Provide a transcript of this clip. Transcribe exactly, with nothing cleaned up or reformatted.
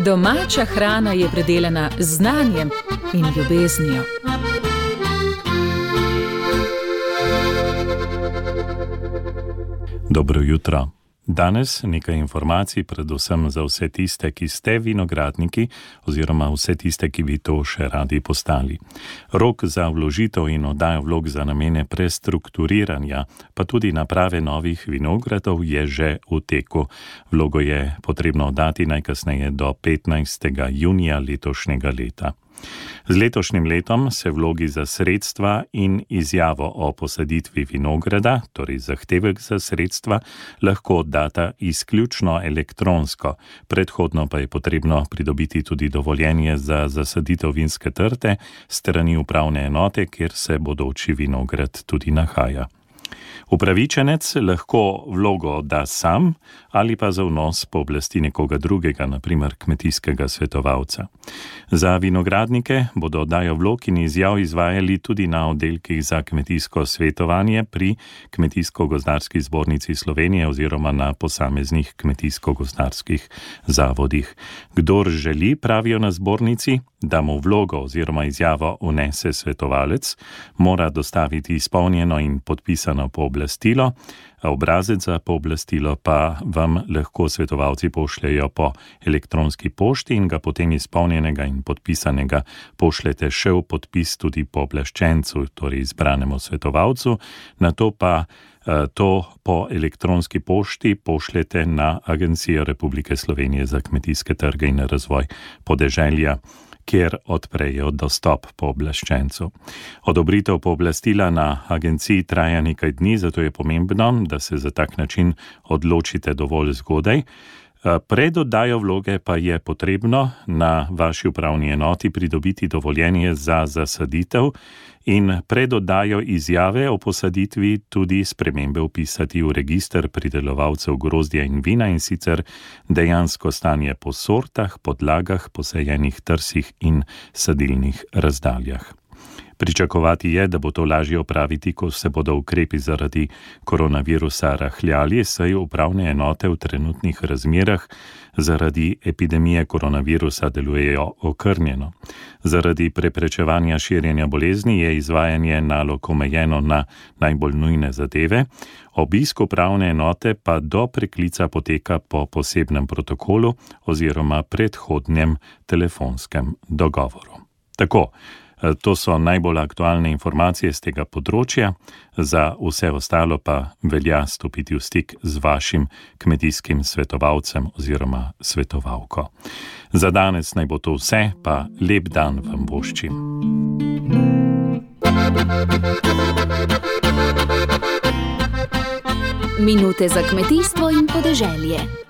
Domača hrana je predelana z znanjem in ljubeznijo. Dobro jutro. Danes nekaj informacij predvsem za vse tiste, ki ste vinogradniki oziroma vse tiste, ki bi to še radi postali. Rok za vložitev in oddajo vlog za namene prestrukturiranja, pa tudi naprave novih vinogradov je že v teku. Vlogo je potrebno oddati najkasneje do petnajstega junija letošnjega leta. Z letošnjim letom se vlogi za sredstva in izjavo o posaditvi vinograda, torej zahtevek za sredstva, lahko oddata izključno elektronsko. Predhodno pa je potrebno pridobiti tudi dovoljenje za zasaditev vinske trte s strani upravne enote, kjer se bodoči vinograd tudi nahaja. Upravičenec lahko vlogo odda sam ali pa za vnos pooblasti nekoga drugega, na primer kmetijskega svetovalca. Za vinogradnike bodo oddajo vlog in izjav izvajali tudi na oddelkih za kmetijsko svetovanje pri Kmetijsko-gozdarski zbornici Slovenije oziroma na posameznih kmetijsko-gozdarskih zavodih. Kdor želi, pravijo na zbornici, da mu vlogo oziroma izjavo vnese svetovalec, mora dostaviti izpolnjeno in podpisano pooblastilo, obrazec za pooblastilo pa vam lahko svetovalci pošljejo po elektronski pošti in ga potem izpolnjenega in podpisanega pošljete še v podpis tudi pooblaščencu, torej izbranemu svetovalcu, nato pa to po elektronski pošti pošljete na Agencijo Republike Slovenije za kmetijske trge in razvoj podeželja, kjer odprejo dostop pooblaščencu. Odobritev pooblastila na agenciji traja nekaj dni, zato je pomembno, da se za tak način odločite dovolj zgodaj. Pred oddajo vloge pa je potrebno na vaši upravni enoti pridobiti dovoljenje za zasaditev in pred oddajo izjave o posaditvi tudi spremembe vpisati v register pridelovalcev grozdja in vina, in sicer dejansko stanje po sortah, podlagah, posajenih trsih in sadilnih razdaljah. Pričakovati je, da bo to lažje opraviti, ko se bodo ukrepi zaradi koronavirusa rahljali, saj upravne enote v trenutnih razmerah zaradi epidemije koronavirusa delujejo okrnjeno. Zaradi preprečevanja širjenja bolezni je izvajanje nalog omejeno na najbolj nujne zadeve, obisk upravne enote pa do preklica poteka po posebnem protokolu oziroma predhodnem telefonskem dogovoru. Tako, to so najbolj aktualne informacije z tega področja, za vse ostalo pa velja stopiti v stik z vašim kmetijskim svetovalcem oziroma svetovalko. Za danes naj bo to vse, pa lep dan vam voščim. Minute za kmetijstvo in podeželje.